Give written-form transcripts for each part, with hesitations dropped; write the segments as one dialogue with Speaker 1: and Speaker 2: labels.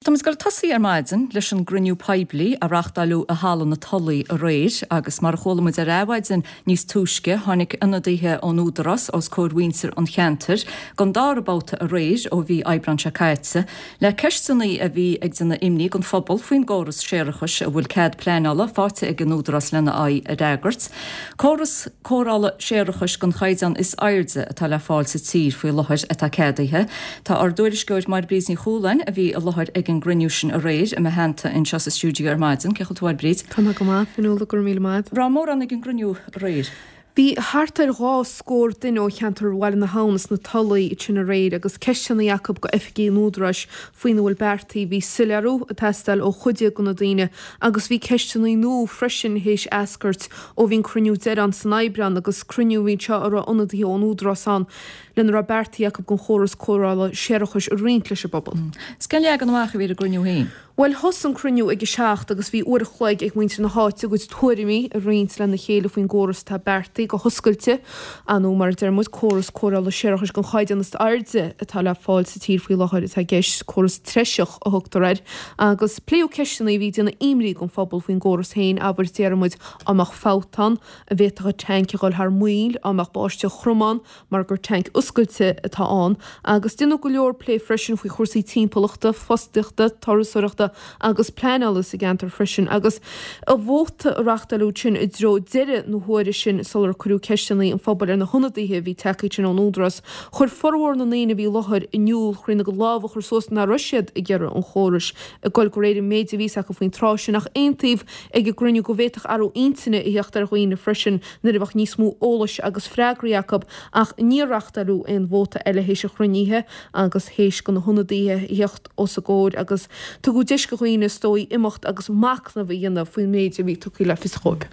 Speaker 1: Táimid ag dul ag tosaí ar maidin leis an gcruinniú poiblí a reachtáileadh i Halla na Tulaí aréir agus mar a chuala muid ar Adhmhaidin níos túisce tháinig ionadaithe ón Údarás os comhair mhuintir an cheantair don dara babhta aréir ó mhí Aibreáin seo caite le ceisteanna a bhí ag déanamh imní don phobal faoin gcóras séarachais a bhfuil cead pleanála faighte ag an Údarás lena aghaidh a fhreagairt. Córas cóireála séarachais den chaighdeán is airde atá le fáil sa tír faoi láthair atá ceadaithe. Tá ár dtuairisceoir Máire Bríd Ní Chualáin, a bhí i láthair ag an gcruinniú sin aréir, i mo theannta anseo sa stiúideo ar maidin. Cén chaoi a bhfuil tú, a Mháire Bríd?
Speaker 2: Tá mé go maith, Fionnuala, go raibh míle maith.
Speaker 1: Raibh mórán ag an gcruinniú aréir?
Speaker 2: Bhí thart ar 20 scór duine ó cheantar Bhaile na hAbhann is na Tulaí ansin aréir agus ceisteanna acu go oifigigh an Údaráis faoina bhfuil beartaithe. Bhí soiléiriú ag teastáil ó chuid de na daoine agus bhí ceisteanna nua freisin théis eascairt Ó bhí an cruinniú deiridh ann san Aibreán agus cruinniú a bhí anseo a raibh ionadaithe ón Údarás ann lena raibh beartaithe acu don chóras cóireála séarachais a roinnt leis an bpobal.
Speaker 1: Is cén leagan amach a bhí ar an gcruinniú féin?
Speaker 2: Bhuel, thosaigh an cruinniú ag a 7 agus bhí uair a chloig ag muintir na háite a gcuid tuairimí a roinnt lena chéile faoin gcóras atá beartaithe go hoscailte, nó mar a deir muid, córas cóireála séarachais den chaighdeán is airde atá le fáil sa tír faoi láthair atá i gceist, córas treiseach a thugtar air. Agus pléadh ceisteanna a bhí ag déanamh imní don phobal faoin gcóras féin, abair, déarfaidh muid, á mbeadh fabht ann, an bhféadfadh an tanc a dhul thar maoil, á mbeadh báisteach throm ann, mar gur tanc oscailte atá ann. Agus déanadh go leor plé freisin faoi chúrsaí timpeallachta, fostaíochta, turasóireachta agus pleanála sa gceantar freisin. Agus an vóta a reachtáileadh ansin i dtreo deireadh na huaire sin sular cuireadh ceisteanna an phobail ar na hionadaithe a bhí tagtha ansin ón Údarás, Chuir formhór na ndaoine a bhí i láthair in iúl chríonna a lámh a chur suas nach raibh siad ag iarraidh an chórais ag dul de réir an méid a bhí acu faoin tráth sin ach aontaíodh ag an gcruinniú go bhféadfadh athrú intinne a theacht ar dhaoine freisin nuair a bheadh níos mó eolais agus freagraí acu ach níor reachtáileadh aon vóta eile théis an chruinnithe agus théis do na hionadaithe a theacht os a gcomhair agus tugadh deis do dhaoine is dóigh imeacht agus machnamh a dhéanamh faoin méid a bhí tugtha le fios dhóibh.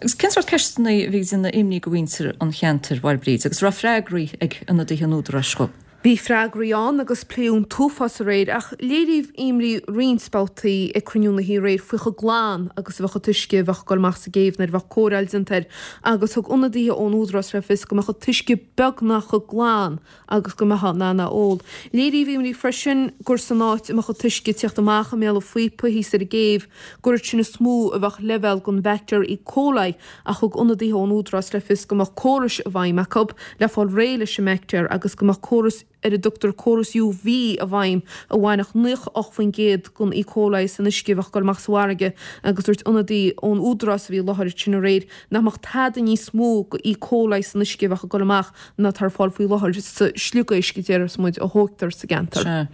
Speaker 1: Agus cén sórt ceisteanna a bhí ag déanamh imní do mhuintir an cheantair, a Mháire Bríd, agus raibh freagraí ag ionadaithe an Údaráis dhóibh?
Speaker 2: Bhí freagraí ann agus pléadh an t-uafás aréir ach léiríodh imní roinnt babhtaí ag cruinniú na hoíche aréir faoi chomh glan agus a bheadh an t-uisce a bheadh ag dul amach sa gcéibh nuair a bheadh cóireáil déanta air agus thug ionadaithe ón Údarás le fios go mbeadh an t-uisce beagnach chomh glan agus go mbeifeá in ann é a ól. Léiríodh imní freisin gur san áit a mbeadh an t-uisce ag tíocht amach i mbéal an phíopa thíos ar an gcéibh, gur ansin is mó a bheadh leibhéal den bhaictéar E. coli ach thug ionadaithe ón Údarás le fios go mbeadh córais i bhfeidhm acu le fáil réidh leis an mbaictéar agus go mbeadh córas ar a dtugtar córas UV i bhfeidhm a bhainfeadh 98% den E. coli san uisce a bheadh ag dul amach sa bhfarraige agus dúirt ionadaí ón Údarás a bhí i láthair ansin aréir nach mbeadh tada níos mó de E. coli san uisce a bheadh ag dul amach ná atá ar fáil faoi láthair sa sliogéisc a déarfas muid a thógtar sa gceantar.
Speaker 1: Sea.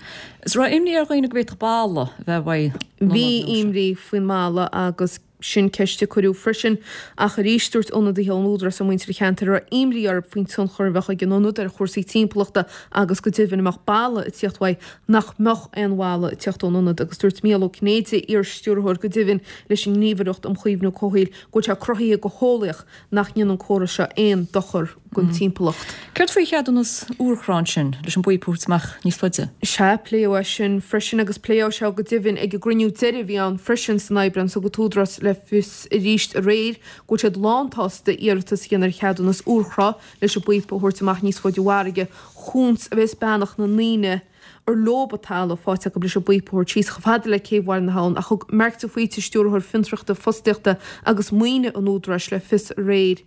Speaker 1: Is raibh imní ar dhaoine go bhféadfadh balla a bheith uaidh
Speaker 2: na Bhí imní faoin mballa agus sin ceist a cuireadh freisin ach arís dúirt ionadaithe ón Údarás le muintir an cheantair a raibh imní orthu faoin tionchar a bheadh ag an ionad ar chúrsaí timpeallachta agus go deimhin a mbeadh balla ag tíocht uaidh nach mbeadh aon bhalla ag tíocht ón ionad agus dúirt Mícheál Ó Cinnéide, iar-stiúrthóir go deimhin leis an nGníomhaireacht um Chaomhnú Comhshaoil go bhfuil sé cruthaithe go heolaíoch nach ndéanann an córas seo aon dochar don timpeallacht.
Speaker 1: Céard faoi cheadúnas urchrá ansin leis an bpíopa a thabhairt amach níos faide?
Speaker 2: Sea, pléadh é sin freisin agus pléadh sé go deimhin ag an gcruinniú deiridh a bhí ann freisin san Aibreán. Thug an tÚdarás le fios arís aréir go bhfuil siad lánsásta iarratas a dhéanamh ar cheadúnas urchrá leis an bpíopa a thabhairt amach níos faide i bhfarraige chúns a bheas beannacht na ndaoine ar leob an talamh faighte acu leis an bpíopa a thabhairt síos chomh fada le céibh Bhaile na hAbhann ach thug Mark de Faoite, Stiúrthóir Fiontraíochta, Fostaíochta agus Maoine an Údaráis le fios aréir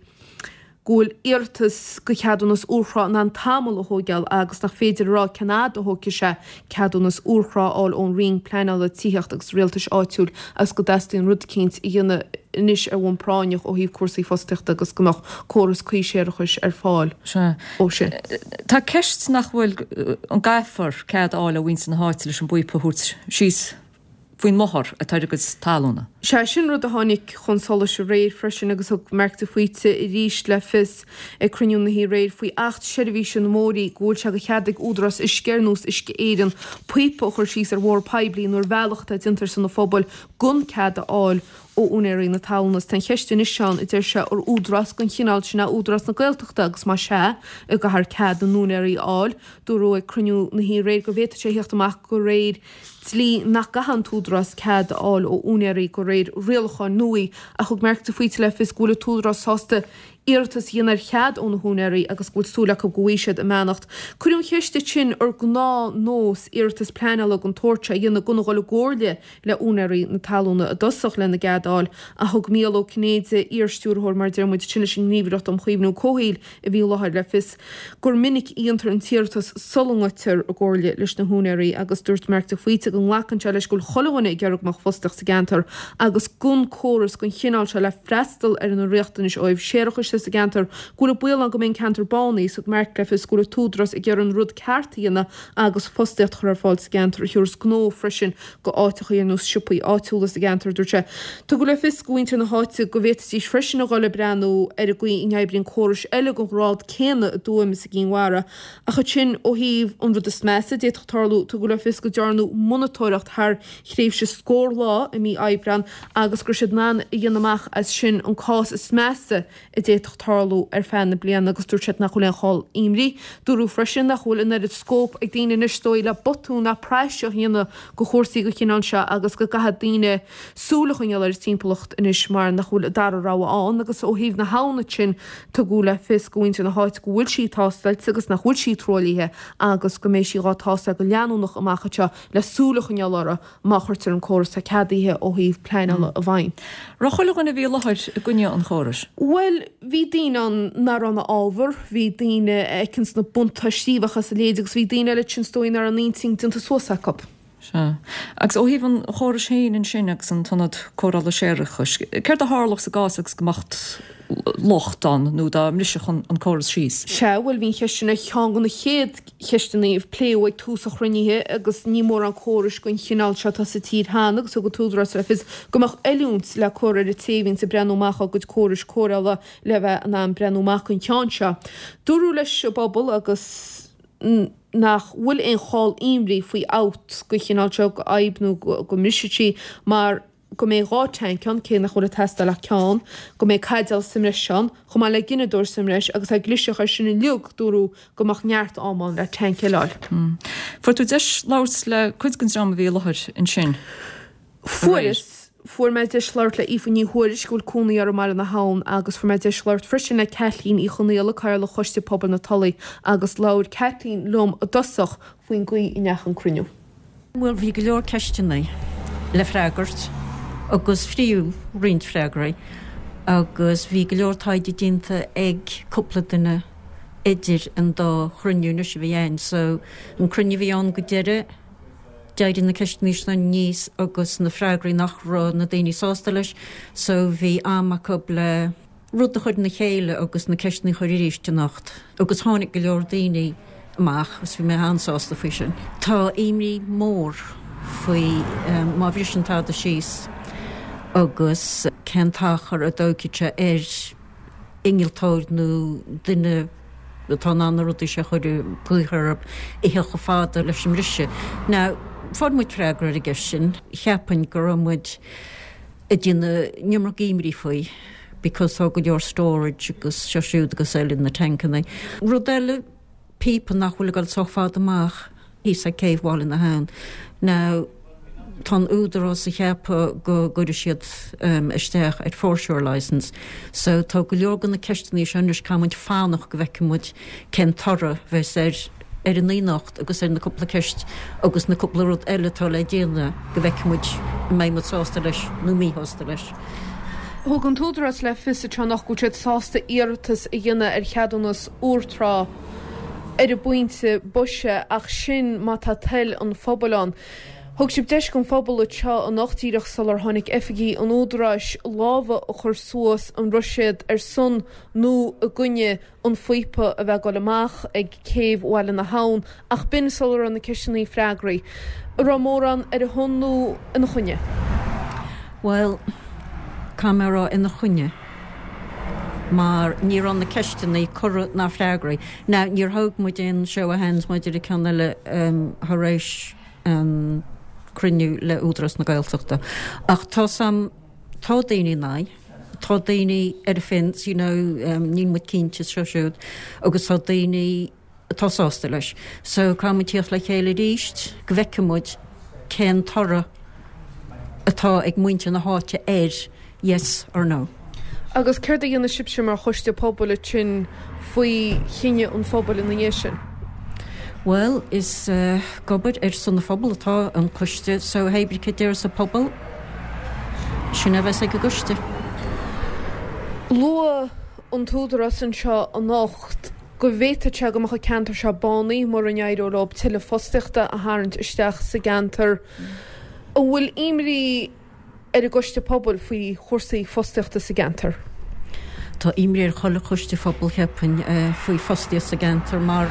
Speaker 2: go bhfuil iarratas do cheadúnas urchrá in ann tamall a thóigeáil agus nach féidir a rá cén fhad a thógfaidh sé ceadúnas urchrá a fháil ón Roinn Pleanála, Tithíochta agus Rialtais Áitiúil agus go dteastaíonn rud eicínt a dhéanamh anois ar bhonn práinneach ó thaobh cúrsaí fostaíochta agus go mbeadh córas cuí séarachais ar fáil ó sin.
Speaker 1: Tá ceist nach bhfuil, an gcaithfear cead a fháil ó mhuintir na háite leis an bpíopa a thabhairt síos faoin mbóthar atá ar a gcuid talúna?
Speaker 2: Sea, sin rud a tháinig chun solais aréir freisin agus thug Mark de Faoite arís le fios ag cruinniú na hoíche aréir faoi Acht Seirbhíse na mBóithrí go bhfuil sé de chead ag údarás uisce ar nós Uisce Éireann píopa a chur síos ar bhóthar poiblí nó ar bhealach atá déanta ar son an phobail gan cead a fháil ó úinéirí na talún. Is tá an cheist anois ann, a deir sé, ar údarás den chineál sin é Údarás na Gaeltachta agus más ea, an gcaithfear cead na n-úinéirí a fháil. Dúradh ag cruinniú na hoíche aréir go bhféadfadh sé a theacht amach de réir dlí nach gcaithfeadh an t-údarás cead a fháil ó úinéirí de réir rialacháin nua ach thug Mark de Faoite le fios go bhfuil an t-údarás sásta. iarratas a dhéanamh ar chead ó na húinéirí agus go bhfuil súil acu go bhfaighidh siad a mbeannacht. Cuireadh an cheist ansin ar gnáthnós iarratas pleanála den tsórt seo a dhéanamh gan a dhul i gcomhairle le úinéirí na talúna i dtosach lena gcead a fháil ach thug Mícheál Ó Cinnéide, iar-stiúrthóir mar a deir muid ansin leis an nGníomhaireacht um Chaomhnú Comhshaoil a bhí i láthair, le fios gur minic a dhéantar an t-iarratas sula ngoitear i gcomhairle leis na húinéirí agus dúirt Marc de Faoite go nglacann sé leis go bhfuil chuile dhuine ag iarraidh go mbeadh fostaíocht sa gceantar agus gan córas den chineál seo le freastal ar na riachtanais ó thaobh séarachais de sa gceantar go bhfuil an baol ann go mbeidh an ceantar bánaithe. Thug Marc le fios go bhfuil an t-údarás ag iarraidh an rud ceart a dhéanamh agus fostaíocht a chur ar fáil sa gceantar a thiúrfas gnó freisin go áiteachaí ar nós siopaí áitiúla sa gceantar, dúirt sé. Tugadh le fios go mhuintir na háite go bhféadfaidís freisin a dhul ag breathnú ar an gcaoi a n-oibríonn córais eile den ghrád céanna i dTuaim is i gCinn Mhara. Ach ansin, ó thaobh an rud is measa a d'fhéadfadh tarlú, tugadh le fios go dtearnadh monatóireacht thar thréimhse scór lá i mí Aibreáin agus go raibh siad in ann a dhéanamh amach as sin an cás is measa a d'fhéadfadh tarlú ar feadh na bliana agus dúirt siad nach bhfuil aon chall imní. Dúradh freisin nach bhfuil an oiread scóip ag daoine anois is dóigh le botún ná praiseach a dhéanamh go chúrsaí den chineál seo agus go gcaithfidh daoine súil a choinneáil ar an timpeallacht anois mar nach bhfuil an dara rogha ann agus ó thaobh na habhann ansin tugadh le fios go mhuintir na háite go bhfuil sí tástáilte agus nach bhfuil sí truaillithe agus go mbeidh sí dhá tástáil go leanúnach amach anseo le súil a choinneáil orthu má chuirtear an córas atá ceadaithe ó thaobh pleanála i bhfeidhm.
Speaker 1: Raibh chuile dhuine a bhí i láthair i gcoinne an chórais?
Speaker 2: Bhuel, bhí daoine ann nach raibh ina fhábhar, bhí daoine a fheiceanns na buntáistí a bheadh as a leithéid agus bhí daoine eile ansin is dóigh nach raibh an intinn déanta suas acu.
Speaker 1: Sea. Agus ó thaobh an chórais féin ansin agus an t-ionad cóireála séarachais, céard a tharlódh sa gcás agus go mbeadh locht ann nó dá mbrisfeadh an córas síos?
Speaker 2: Sea, bhuel bhí an cheist sin ar cheann de na chéad cheisteanna a pléadh ag tús an chruinnithe agus ní mórán córais den chineál seo atá sa tír cheana agus thug an tÚdarás le fios go mbeadh oiliúint le cur ar an té a bhíonns ag breathnú amach á gcuid córais cóireála le bheith in ann breathnú amach don cheann seo. Dúradh leis an bpobal agus nach bhfuil aon chall imní faoi fhabht den chineál seo, go fhadhb nó go mbrisfidh sí mar go mbeidh 2 tanc ann, cé nach bhfuil ag teastáil ach ceann, go mbeidh caidéal sa mbreis ann, chomh maith le gineadóir sa mbreis agus dá gclisfeadh air sin uilig, dúradh go mbeadh neart am ann le tanc eile a fháil.
Speaker 1: Fuair tú deis labhairt le cuid den dream a bhí i láthair ansin
Speaker 2: aréir? Fuaireas. Fuair mé deis labhairt le Aoife Ní Thuairisg, a bhfuil cónaí uirthi i mBaile na hAbhann, agus fuair mé deis labhairt freisin le Caitlín Uí Chonaola, Cathaoirleach Choiste Pobail na Tulaí, agus labhair Caitlín liom i dtosach faoin gcaoi a ndeachaigh an cruinniú.
Speaker 3: Bhuel, bhí go leor ceisteanna le freagairt agus fiú roinnt freagraí agus bhí go leor taighde déanta ag cúpla duine idir an dá chruinniú anois a bhí ann. So, an cruinniú a bhí ann go deireadh, d'éirigh na ceisteanna seo aníos agus na freagraí nach raibh na daoine sásta leis so bhí am acu le rud a chur ina chéile agus na ceisteanna a chur arís anocht agus tháinig go leor daoine amach agus bhí mé an-sásta faoi sin. Tá imní mór faoi má bhriseann tada síos agus cén t-achar a dtógfaidh sé ar innealtóir nó duine atá in ann na rudaí seo a chur i gcrích a theacht chomh fada leis an mbriseadh. Now, fuair muid freagra ar an gceist sin. Cheapfainn go raibh muid ag déanamh an iomarca imní faoi because tá go leor storage agus seo siúd agus eile na tancanna. Rud eile, píopa nach bhfuil ag dul sách fada amach thíos ag céibh Bhaile na hAbhann. Now, tá an Údarás ag ceapadh go gcuirfidh siad isteach ar foreshore licence so tá go leor de na ceisteanna seo anois caithfidh muid fanacht go bhfeicfidh muid cén toradh bheas ar ar an anocht agus ar na cúpla ceist agus na cúpla rud eile atá le déanamh go bhfeicfidh muid an mbeidh muid sásta leis nó míshásta leis.
Speaker 2: Thug an tÚdarás le fios anocht go bhfuil siad sásta iarratas a dhéanamh ar cheadúnas úr trá ar an bpointe boise ach sin má tá toil an phobail ann. Thug sibh deis don phobal anseo anocht díreach sular tháinig oifigigh an Údaráis lámha a chur suas an raibh siad ar son nó i gcoinne an phíopa a bheith ag dul amach ag céibh Bhaile na hAbhann ach b'in sula raibh na ceisteanna freagraithe. An raibh mórán ar a shon nó ina choinne?
Speaker 3: Bhuel, caithfidh mé a rá ina choinne mar ní raibh na ceisteanna curtha ná freagraithe. Now, níor thóg muid aon show of hands maidir le ceann eile thar éis an cruinniú le Údarás na Gaeltachta ach tá some, tá daoine in aghaidh. Tá daoine ar an fence, you know, níl muid cinnte seo siúd agus tá daoine atá sásta leis. So caithfidh muid tíocht le chéile arís go bhfeicfidh muid cén toradh atá ag muintir na háite air, yes or no.
Speaker 2: Agus céard a dhéanfaidh sibhse mar choiste pobail ansin faoi chinneadh an phobail ina dhiaidh sin?
Speaker 3: Bhuel, is ag obair ar son an phobail atá an coiste so hé brí cad déarfas an pobal, sin a bheas ag an gcoiste.
Speaker 2: Luaigh an t-údarás anseo anocht go bhféadfadh sé go mbeadh an ceantar seo bánaithe mura n-éireodh leo tuilleadh fostaíochta a tharraingt isteach sa gceantar. An bhfuil imní ar an gcoiste pobail faoi chúrsaí fostaíochta sa gceantar?
Speaker 3: Tá imní ar chuile choiste phobail, cheapfainn, faoi fostaíocht sa gceantar mar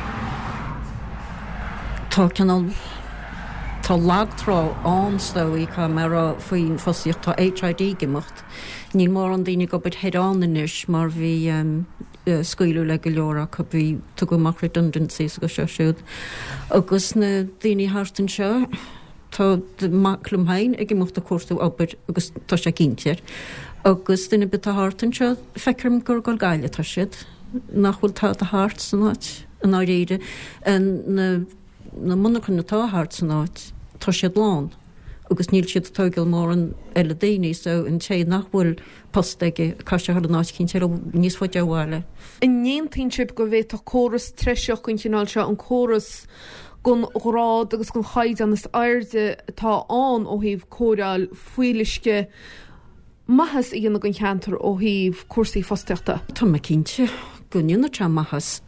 Speaker 3: tá cineál, tá lag trá ann is dóigh, caithfidh mé a rá, faoin fostaíocht. Tá HID ag imeacht. Níl mórán daoine ag obair thoir ann anois mar bhí scaoileadh le go leor acu, bhí, tugadh amach redundancies agus seo siúd. Agus na daoine thart anseo, tá mac liom féin ag imeacht ag cuartú obair agus tá sé cinnte air. Agus duine ar bith atá thart anseo, feictear dom gur ag dul Gaillimh atá siad, nach bhfuil tada thart san áit i ndáiríre. Na na monarchain atá thart san áit, tá siad lán agus níl siad ag tógáil mórán eile daoine so an té nach bhfuil post aige, caithfidh sé a dhul in áit eicínt eile níos faide ó bhaile.
Speaker 2: An n-aontaíonn sibh go bhféadfadh córas treiseach den chineál seo, an córas den ghrád agus den chaighdeán is airde atá ann ó thaobh cóireáil fuíolluisce, maitheas a dhéanamh don cheantar ó thaobh cúrsaí fostaíochta?
Speaker 3: Tá mé cinnte go ndéanfadh sé maitheas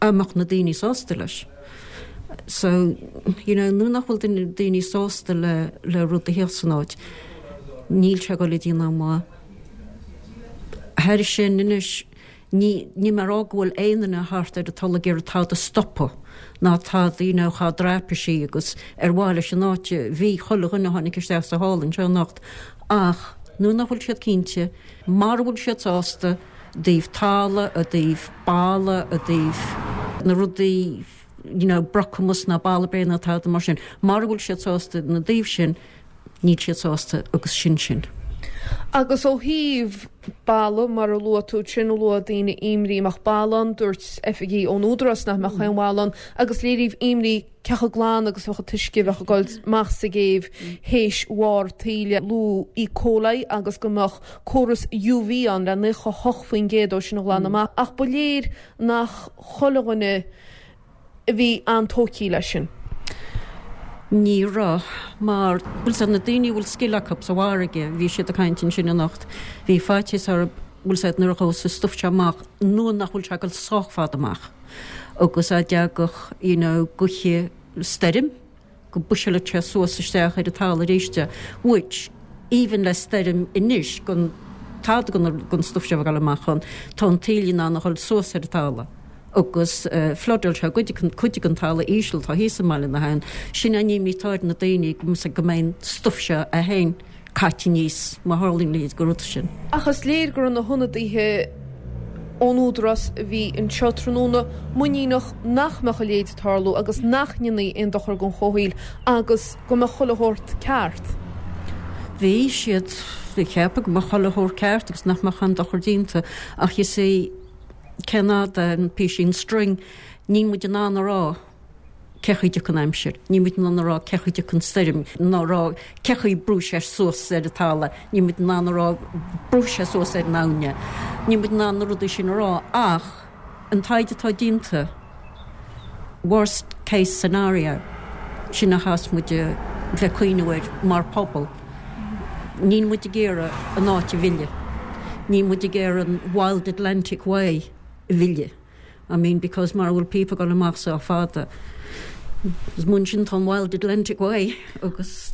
Speaker 3: dá mbeadh na daoine sásta leis. So, you know, nuair nach bhfuil duine, daoine sásta le, le rud a theacht san áit, níl sé ag dul a dhéanamh maith. Thairis sin anois, Ní, níl mé a rá go bhfuil aon duine thart ar an Tulaigh ag iarraidh tada a stopadh, ná tada, you know, cha dtraipisí agus ar mhaith leis an áit a bhí chuile dhuine a tháinig isteach sa hall anseo anocht ach nuair nach bhfuil siad cinnte, mara bhfuil siad sásta i dtaobh tala, i dtaobh balla, i dtaobh na rudaí, you know, brocamas ná balla bréan ná tada mar sin, mara bhfuil siad sásta ina dtaobh sin, Níl siad sásta agus sin sin.
Speaker 2: Agus ó thaobh balla, mar a luaigh tú ansin, luaigh daoine imní an mbeadh balla ann, dúirt oifigigh ón Údarás nach mbeadh aon bhalla ann, agus léiríodh imní cé chomh glan agus a bheadh an t-uisce a bheadh ag dul amach sa gcéibh théis bharr taoille. Luadh E. coli agus go mbeadh córas UV ann le 98% dó sin a ghlanadh amach, ach ba léir nach chuile dhuine a bhí an-tógtha leis sin.
Speaker 3: Ní raibh, mar, bhfuil 's a'd, na daoine a bhfuil scil acu sa bhfarraige, bhí siad ag caint ansin anocht, bhí faitíos orthu, bhfuil 's a'd, nuair a ghabhfas an stuif seo amach, nuair nach bhfuil sé ag dul sách fada amach agus a dtagadh, you know, gaoithe stoirm, go bpushálfadh sé suas isteach ar an talamh arís é, which, even le stoirm anois, gan tada den stuif seo a bheith ag dul amach ann, tá an taoille in ann a dhul suas ar an talamh agus floodáil sé cuid den talamh íseal atá thíos i mBaile na hAbhann. Sin an imní atá ar na daoine go mbeidh an stuif seo é féin caite aníos má tharlaíonn a leithéid de rud sin.
Speaker 2: Ach is léir go raibh na hionadaithe ón Údarás a bhí anseo tráthnóna muiníneach nach mbeadh a leithéid ag tarlú agus nach ndéanfaí aon dochar don chomhshaol agus go mbeadh chuile shórt ceart.
Speaker 3: Bhí siad ag ceapadh go mbeadh chuile shórt ceart agus nach mbeadh aon dochar déanta ach you see cén fhad é an písín string níl muid in ann a rá cé chaoi dtiocfaidh an aimsir. Níl muid in ann a rá cé chaoi dtiocfaidh an stoirm, ná rá cé chaoi brúfaidh sé suas ar an talamh, níl muid in ann a rá brúfaidh sé suas ar an abhainn é. Níl muid in ann na rudaí sin a rá ach an taighde atá déanta, worst case scenario, sin a chaithfeas muid a bheith ag cuimhniú air mar phobal. Níl muid ag iarraidh an áit a mhilleadh. Níl muid ag iarraidh an Wild Atlantic Way a mhilleadh. I mean because mara bhfuil píopa ag dul amach sách fada is mar sin tá an Wild Atlantic Way agus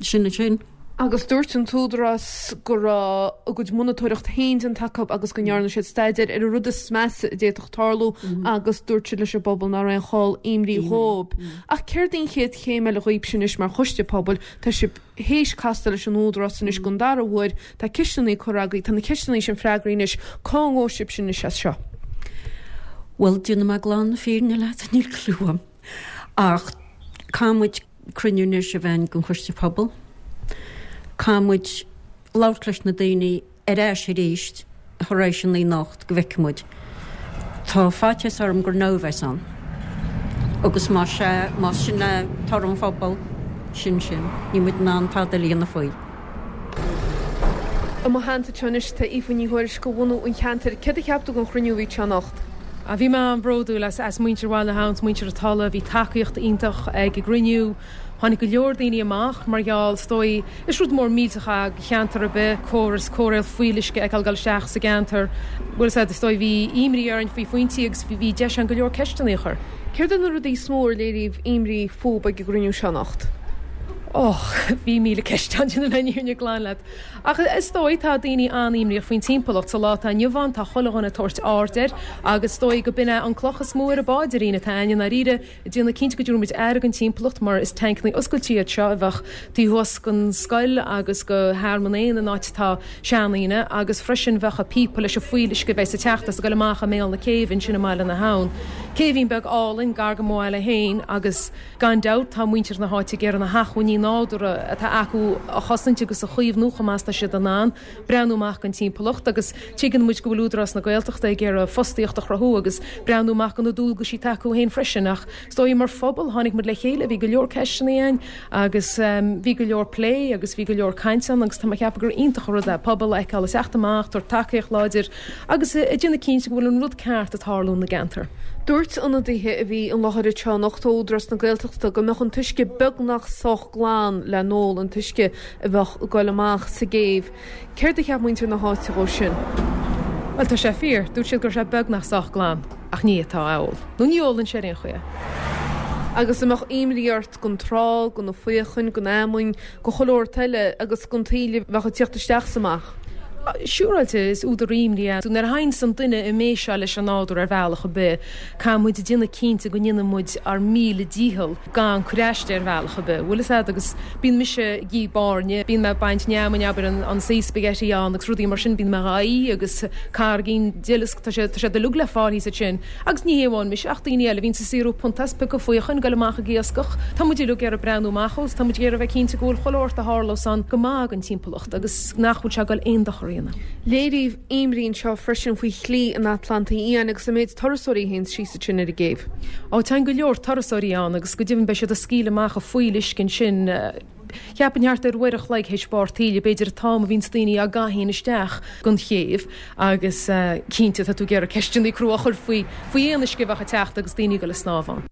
Speaker 3: sin é sin.
Speaker 2: Agus dúirt an tÚdarás go raibh a gcuid monatóireacht féin déanta acu agus go ndearna siad staidéar ar an rud is measa a d'fhéadfadh tarlú agus dúirt siad leis an bpobal nach raibh aon chall imní dhóibh. Ach céard í an chéad chéim eile dhaoibhse anois mar choiste pobail? Tá sibh théis castáil leis an Údarás anois don dara huair. Tá ceisteanna curtha agaibh, tá na ceisteanna sin freagraithe anois. Cá ngabhfaidh sibhse anois as seo?
Speaker 3: Bhuel, déanfaidh mé glan na fírinne leat, níl cliú agam. Ach caithfidh muid cruinniú anois a bheith den Choiste Pobail. Caithfidh muid labhairt leis na daoine ar ais arís tar éis an anocht go bhfeicfidh muid. Tá faitíos orm gur no a bheas ann. Agus más ea, más sin é toradh an phobail, sin sin. Níl muid in ann tada eile a dhéanamh faoi.
Speaker 2: I mo theannta anseo anois tá Aoife Ní Thuairisg ó bhunadh an cheantair. Céard a cheap tú den chruinniú a bhí anseo anocht?
Speaker 4: Bhí mé an-bhródúil as muintir Bhaile na hAbhann, 's muintir an Tulaigh. Bhí tacaíocht iontach ag an gcruinniú. Tháinig go leor daoine amach mar gheall, is dóigh, is rud mór millteach é do cheantar ar bith, córas cóireáil fuíolluisce a fheiceáil ag dul isteach sa gceantar. Bhuel, is ea, is dóigh, bhí imní orainn faoi phointí agus bhí deis ann go leor ceisteanna a chur.
Speaker 2: Céard iad na rudaí is mó ar léiríodh imní fúb ag an gcruinniú seo anocht?
Speaker 4: Och, bhí 1,000 ceist ann, déanfaidh mé an fhírinne glan leat. Ach is dóigh, tá daoine an-imníoch faoin timpeallacht. Sa lá atá inniu ann, tá chuile dhuine ag tabhairt aird air agus is dóigh go b'in é an cloch is mó ar an bpáidrín atá againn i ndáiríre, ag déanamh cinnte go dtabharfaidh muid aire don timpeallacht mar is tancannaí oscailte iad seo a bheadh taobh thuas den scoil agus go Thearmann Éan an áit atá seandaoine agus freisin bheadh an píopa leis an fuíolluisce a bheas ag teacht as ag goil amach i mbéal na céibhe ansin i mBaile na hAbhann. Céibhín beag álainn gar go mo bhaile féin agus. Gan dabht, tá muintir na háite ag iarraidh na hacmhainní nádúrtha atá acu a chosaint agus a chaomhnú chomh maith is atá siad in ann breathnú amach don timpeallacht agus tuigeann muid go bhfuil Údarás na Gaeltachta ag iarraidh fostaíocht a chruthú agus breathnú amach do na dualgaisí atá acu féin freisin ach is dóigh mar phobal tháinig muid le chéile, bhí go leor ceisteanna againn agus bhí go leor plé agus bhí go leor caint ann agus tá mé ag ceapadh gur iontach an rud é pobal a fheiceáil ag teacht amach, tabhairt tacaíocht láidir agus ag déanamh cinnte go bhfuil an rud ceart ag tarlú ina gceantar.
Speaker 2: Dúirt ionadaithe a bhí i láthair anseo anocht ó Údarás na Gaeltachta go mbeadh an t-uisce beagnach sách glan le n-ól, an t-uisce a bheadh ag goil amach sa gcéibh. Céard a cheap muintir na háite dhó sin?
Speaker 4: Bhuel, tá sé fíor. Dúirt siad go raibh sé beagnach sách glan, ach ní fhéadfá é a ól. Nó ní ólfainnse ar aon chaoi é.
Speaker 2: Agus an mbeadh imní ort gon trá, go na faochain, gon fheamainn, go chuile shórt eile agus gon taoille a bheadh ag tíocht isteach 's amach?
Speaker 4: Siúráilte, is údar imní é. Nuair a théanns an duine i mbéis leis an nádúr ar bhealach ar bith, caithfidh muid déanamh cinnte go ndéanann muid ár míle dícheall gan cur aisti ar bhealach ar bith. Bhfuil fhios a'd, agus bíonn mise ag ithe bairne, bíonn mé ag baint an fheamainn, abair, an sea spaghetti ann agus rudaí mar sin, bíonn mé dhá ithe agus carraigín duileasc, tá sé, tá sé uilig le fáil thíos ansin. Agus ní hé amháin mise ach daoine eile a bhíonns ag saothrú punta 's piocadh faochain, goil amach ag iascach. Tá muid uilig ag iarraidh breathnú amach dhó 's tá muid ag iarraidh a bheith cinnte go bhfuil chuile shórt a tharlós ann go maith don timpeallacht agus nach bhfuil sé ag goil aon dochar a dhéanamh.
Speaker 2: Léiríodh imní anseo freisin faoi Shlí an Atlantaigh Fhiáin agus an méid turasóirí a théanns síos ansin ar an gcéibh.
Speaker 4: Ó, téann go leor turasóirí ann agus go deimhin beidh siad ag scaoileadh amach an fuíolluisce ansin. Cheapfainn thart ar uair a chloig théis barr taoille, b'fhéidir an t-am a bhíonns daoine á gcaitheamh isteach gon chéibh agus cinnte tá tú ag iarraidh ceisteanna crua a chur faoi faoi aon uisce a bheadh ag teacht agus daoine ag dul ag snámh ann.